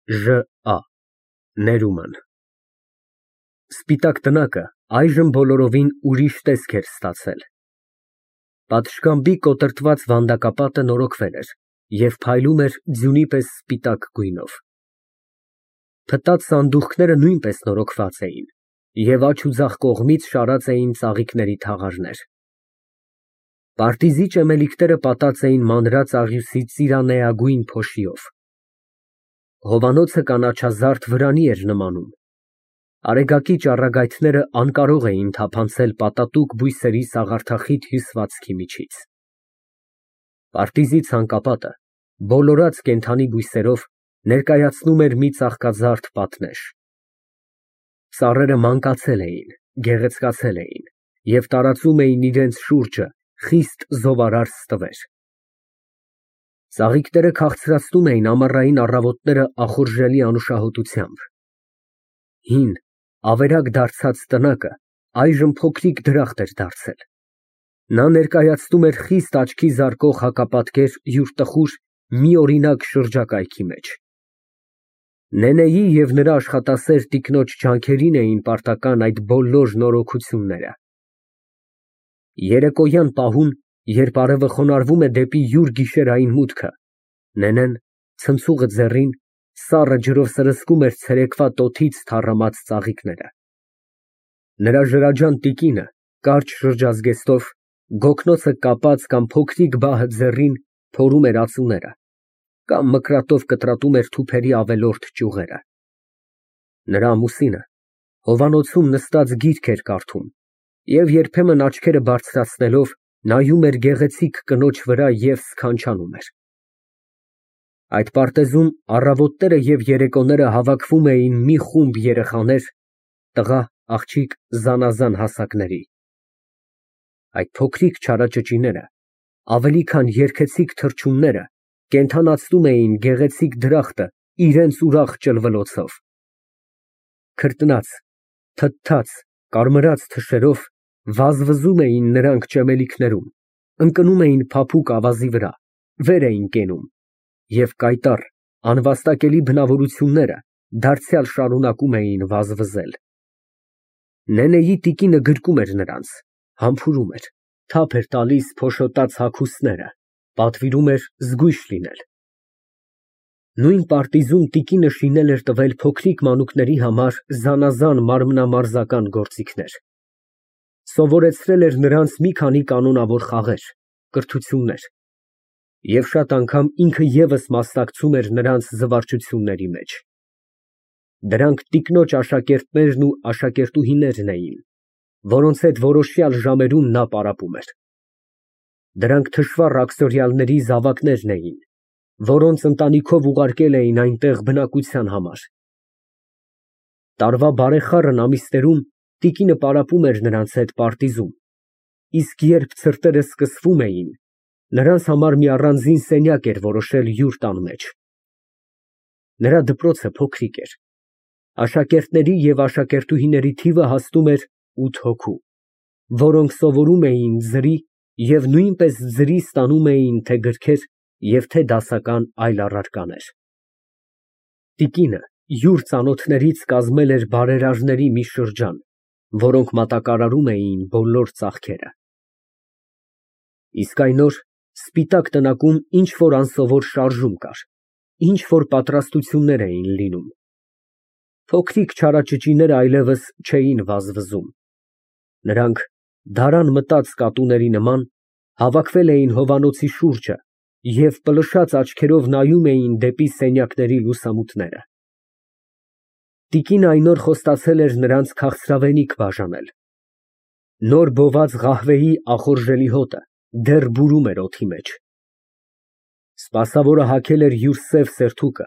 ԺԱ Ներուման Սպիտակ տնակը այժմ բոլորովին ուրիշ տեսք էր ստացել։ Պատշգամբի կոտրտված վանդակապատը նորոգվել էր և փայլում էր ձյունի պես սպիտակ գույնով։ Փտած սանդուղքները նույնպես նորոգված էին և աջ ու ձախ կողմից շարած էին ծաղիկների թաղարներ։ Պարտիզի ճեմելիքները պատած էին մանրած աղյուսի ծիրանեագույն փոշիով։ Հովանոցը կանաչազարդ վրանի էր նմանում։ Արեգակի ճառագայթները անկարող էին թափանցել պատատուկ բույսերի սաղարթախիտ հյուսվածքի միջից։ Պարտիզի ցանկապատը, բոլորած կենդանի բույսերով, ներկայացնում էր մի ծաղկազարդ պատնեշ։ Ծառերը մանկացել էին, գեղեցկացել էին և տարածում էին իրենց շուրջը խիստ զովարար ստվեր։ Ծաղիկները քաղցրացնում էին ամառային առավոտները ախորժելի անուշահոտությամբ։ Հին, ավերակ դարձած տնակը այժմ փոքրիկ դրախտ էր դարձել։ Նա ներկայացնում էր խիստ աչքի զարկող հակապատկեր յուր տխուր, միօրինակ շրջակայքի մեջ։ Նենեի և նրա աշխատասեր տիկնոջ ջանքերին էին պարտական այդ բոլոր նորոգությունները։ Երեկոյան պահուն, երբ արևը խոնարհվում է դեպի յուր գիշերային մուտքը, Նենեն, ցնցուղը ձեռին, սառը ջրով սրսկում էր ցերեկվա տոթից թառամած ծաղիկները։ Նրա ժրաջան տիկինը, կարճ շրջազգեստով, գոգնոցը կապած կամ փոքրիկ բահը ձեռին, փորում էր ածուները կամ մկրատով կտրատում էր թուփերի ավելորդ ճյուղերը։ Նրա ամուսինը հովանոցում նստած գիրք էր կարդում և երբեմն աչքերը բարձրացնելով նայում էր գեղեցիկ կնոջ վրա և սքանչանում էր։ Այդ պարտեզում առավոտները և երեկոները հավաքվում էին մի խումբ երեխաներ, տղա, աղջիկ, զանազան հասակների։ Այդ փոքրիկ չարաճճիները, ավելի քան երգեցիկ թռչունները, կենդանացնում էին գեղեցիկ դրախտը իրենց ուրախ ճլվլոցով։ Քրտնած, թթթած, կարմրած թշերով վազվզում էին նրանք ճեմելիքներում, ընկնում էին փափուկ ավազի վրա, վեր էին կենում և կայտառ, անվաստակելի բնավորությունները դարձյալ շարունակում էին վազվզել։ Նենեի տիկինը գրկում էր նրանց, համբուրում էր, թափ էր տալիս փոշոտած հագուստները, պատվիրում էր զգույշ լինել։ Նույն պարտիզում տիկինը շինել էր տվել փոքրիկ մանուկների համար զանազան մարմնամարզական գործիքներ։ Սովորեցրել էր նրանց մի քանի կանոնավոր խաղեր, կրթություններ և շատ անգամ ինքը ևս մասնակցում էր նրանց զվարճությունների մեջ։ Դրանք տիկնոջ աշակերտներն ու աշակերտուհիներն էին, որոնց հետ որոշյալ ժամերում նա պարապում էր։ Դրանք թշվառ աքսորիալների զավակներն էին, որոնց ընտանիքով ուղարկել էին այնտեղ բնակության համար։ Տարվա բարեխառն ամիսներում տիկինը պարապում էր նրանց հետ պարտիզում, իսկ երբ ցրտերը սկսվում էին, նրանց համար մի առանձին սենյակ էր որոշել յուր տան մեջ։ Նրա դպրոցը փոքրիկ էր։ Աշակերտների և աշակերտուհիների թիվը հասնում էր 8 հոգու, որոնք սովորում էին ձրի և նույնպես ձրի ստանում էին թե գրքեր և թե դասական այլ առարկաներ։ Տիկինը յուր ծանոթներից կազմել էր բարերարների մի շրջան, որոնք մատակարարում էին բոլոր ծախքերը։ Իսկ այն օր սպիտակ տնակում ինչ֊որ անսովոր շարժում կար, ինչ֊որ պատրաստություններ էին լինում։ Փոքրիկ չարաճճիները այլևս չէին վազվզում։ Նրանք, դարան մտած կատուների նման, հավաքվել էին հովանոցի շուրջը և պլշած աչքերով նայում էին դեպի սենյակների լուսամուտները։ Տիկինը այն օր խոստացել էր նրանց քաղցրավենիք բաժանել։ Նոր բոված ղահվեի ախորժելի հոտը դեռ բուրում էր օդի մեջ։ Սպասավորը հագել էր յուր սև սերթուկը,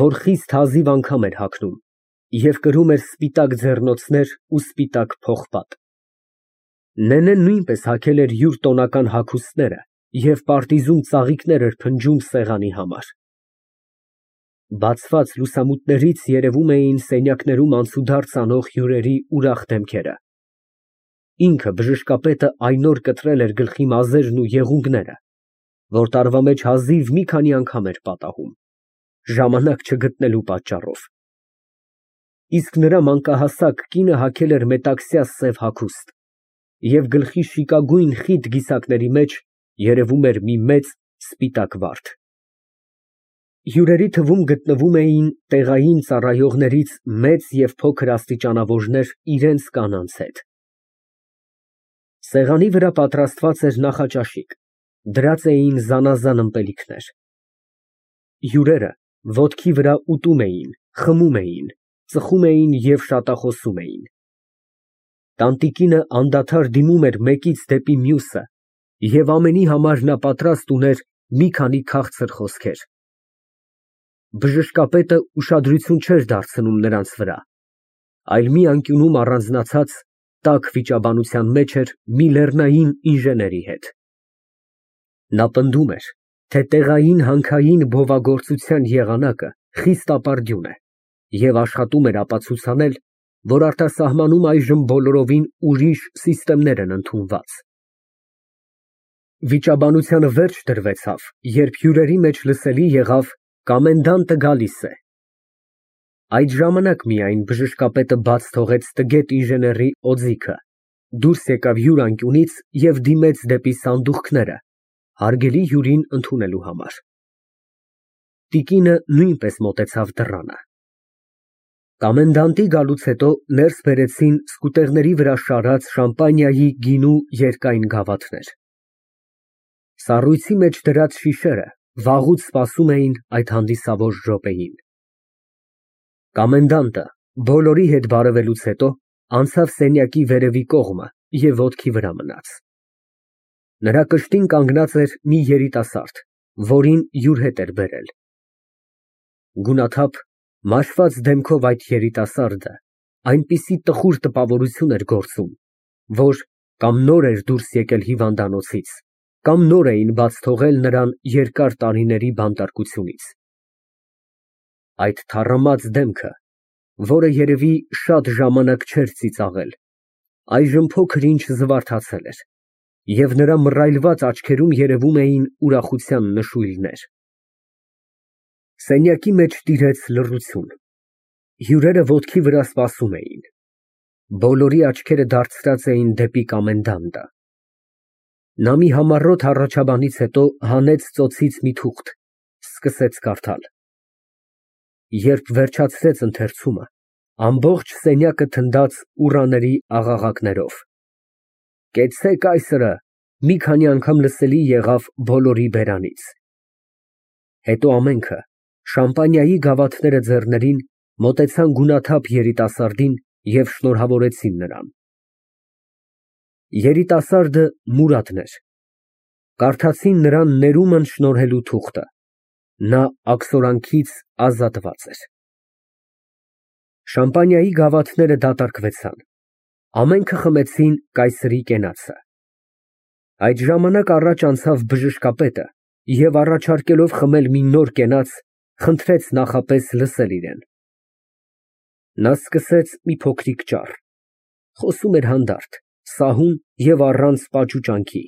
որ խիստ հազիվ անգամ էր հագնում, և կրում էր սպիտակ ձեռնոցներ ու սպիտակ պողպատ։ Նենեն նույնպես հագել էր յուր տոնական հագուստները և պարտիզում ծաղիկներ էր փնջում սեղանի համար։ Բացված լուսամուտներից երևում էին սենյակներում անցուդարձ անող հյուրերի ուրախ դեմքերը։ Ինքը բժշկապետը այն օր կտրել էր գլխի մազերն ու եղունգները, որ տարվա մեջ հազիվ մի քանի անգամ էր պատահում։ ժամանակ չգտնելու պատճառով։ Իսկ նրա մանկահասակ կինը հագել էր մետաքսյա սև հագուստ, և գլխի շիկագույն խիտ գիսակների մեջ երևում էր մի մեծ սպիտակ վարդ։ Հյուրերի թվում գտնվում էին տեղային ծառայողներից մեծ և փոքր աստիճանավորներ իրենց կանանց հետ։ Սեղանի վրա պատրաստված էր նախաճաշիկ, դրած էին զանազան ըմպելիքներ։ Հյուրերը ոտքի վրա ուտում էին, խմում էին, ծխում էին և շատախոսում էին։ Տանտիկինը անդադար դիմում էր մեկից դեպի մյուսը և ամենի համար նա պատրաստ ուներ մի քանի քաղցր խոսքեր։ Բժշկապետը ուշադրություն չէր դարձնում նրանց վրա, այլ մի անկյունում առանձնացած տաք վիճաբանության մեջ էր մի լեռնային ինժեների հետ։ Նա պնդում էր, թե տեղային հանքային բովագործության եղանակը խիստ ապարդյուն է և աշխատում էր ապացուցանել, որ արտասահմանում այժմ բոլորովին ուրիշ սիստեմներ են ընդունված։ Վիճաբանությանը վերջ դրվեցավ, երբ հյուրերի մեջ լսելի եղավ «Կոմենդանտը գալիս է»։ Այդ ժամանակ միայն բժշկապետը բաց թողեց տգետ ինժեների օձիքը, դուրս եկավ հյուրանկյունից և դիմեց դեպի սանդուղքները, հարգելի հյուրին ընդունելու համար։ Տիկինը նույնպես մոտեցավ դռանը։ Կոմենդանտի գալուց հետո ներս բերեցին սկուտեղների վրա շարած շամպանիայի գինու երկայն գավաթներ։ Սառույցի մեջ դրած շիշերը վաղուց սպասում էին այդ հանդիսավոր րոպեին։ Կոմենդանտը բոլորի հետ բարևելուց հետո անցավ սենյակի վերևի կողմը և ոտքի վրա մնաց։ Նրա կշտին կանգնած էր մի երիտասարդ, որին յուր հետ էր բերել։ Գունաթափ, մաշված դեմքով այդ երիտասարդը այնպիսի տխուր տպավորություն էր գործում, որ կամ նոր էր դուրս եկել հիվանդանոցից, կամ նոր էին բաց թողել նրան երկար տարիների բանտարկությունից։ Այդ թառամած դեմքը, որը երևի շատ ժամանակ չէր ծիծաղել, այժմ փոքր֊ինչ զվարթացել էր, և նրա մռայլված աչքերում երևում էին ուրախության նշույլներ։ Սենյակի մեջ տիրեց լռություն։ Հյուրերը ոտքի վրա սպասում էին։ Բոլորի աչքերը դարձրած էին դեպի կոմենդանտը։ Նա մի համառոտ հառաչաբանից հետո հանեց ծոցից մի թուղթ, սկսեց կարդալ։ Երբ վերջացրեց ընթերցումը, ամբողջ սենյակը թնդաց ուռաների աղաղակներով։ «Կեցցե՛ք կայսրը» մի քանի անգամ լսելի եղավ բոլորի բերանից։ Հետո ամենքը, շամպանիայի գավաթները ձեռներին, մոտեցան գունաթափ երիտասարդին և շնորհավորեցին նրան։ Երիտասարդը Մուրադն էր։ Կարդացին նրան ներումն շնորհելու թուղթը։ Նա աքսորանքից ազատված էր։ Շամպանիայի գավաթները դատարկվեցան։ Ամենքը խմեցին կայսրի կենացը։ Այդ ժամանակ առաջ անցավ բժշկապետը և առաջարկելով խմել մի նոր կենաց, խնդրեց նախապես լսել իրեն։ Նա սկսեց մի փոքրիկ ճառ։ Խոսում էր հանդարտ, սահուն և առանց պաճուճանքի։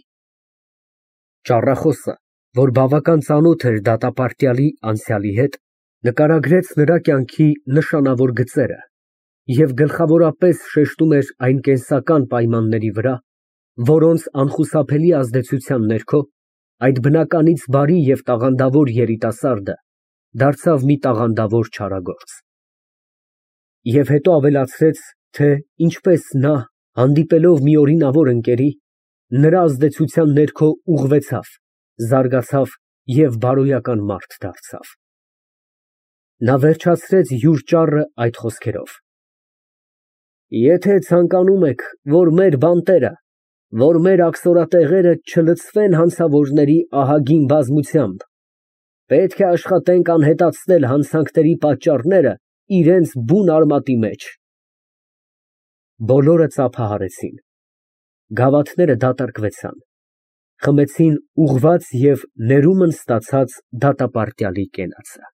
Ճառախոսը, որ բավական ծանոթ էր դատապարտյալի անցյալի հետ, նկարագրեց նրա կյանքի նշանավոր գծերը և գլխավորապես շեշտում էր այն կենսական պայմանների վրա, որոնց անխուսափելի ազդեցության ներքո այդ բնականից բարի և տաղանդավոր երիտասարդը դարձավ մի տաղանդավոր չարագործ։ Եվ հետո ավելացրեց, թե ինչպես նա, հանդիպելով մի օրինավոր ընկերի, նրա ազդեցության ներքո ուղղվեցավ, զարգացավ և բարոյական մարդ դարձավ։ Նա վերջացրեց յուր ճառը այդ խոսքերով. «Եթե ցանկանում եք, որ մեր բանտերը, որ մեր աքսորատեղերը չլցվեն հանցավորների ահագին բազմությամբ, պետք է աշխատենք անհետացնել հանցանքների պատճառները իրենց բուն արմատի մեջ»։ Բոլորը ծափահարեցին։ Գավաթները դատարկվեցան։ Խմեցին ուղղված և ներումն ստացած դատապարտյալի կենացը։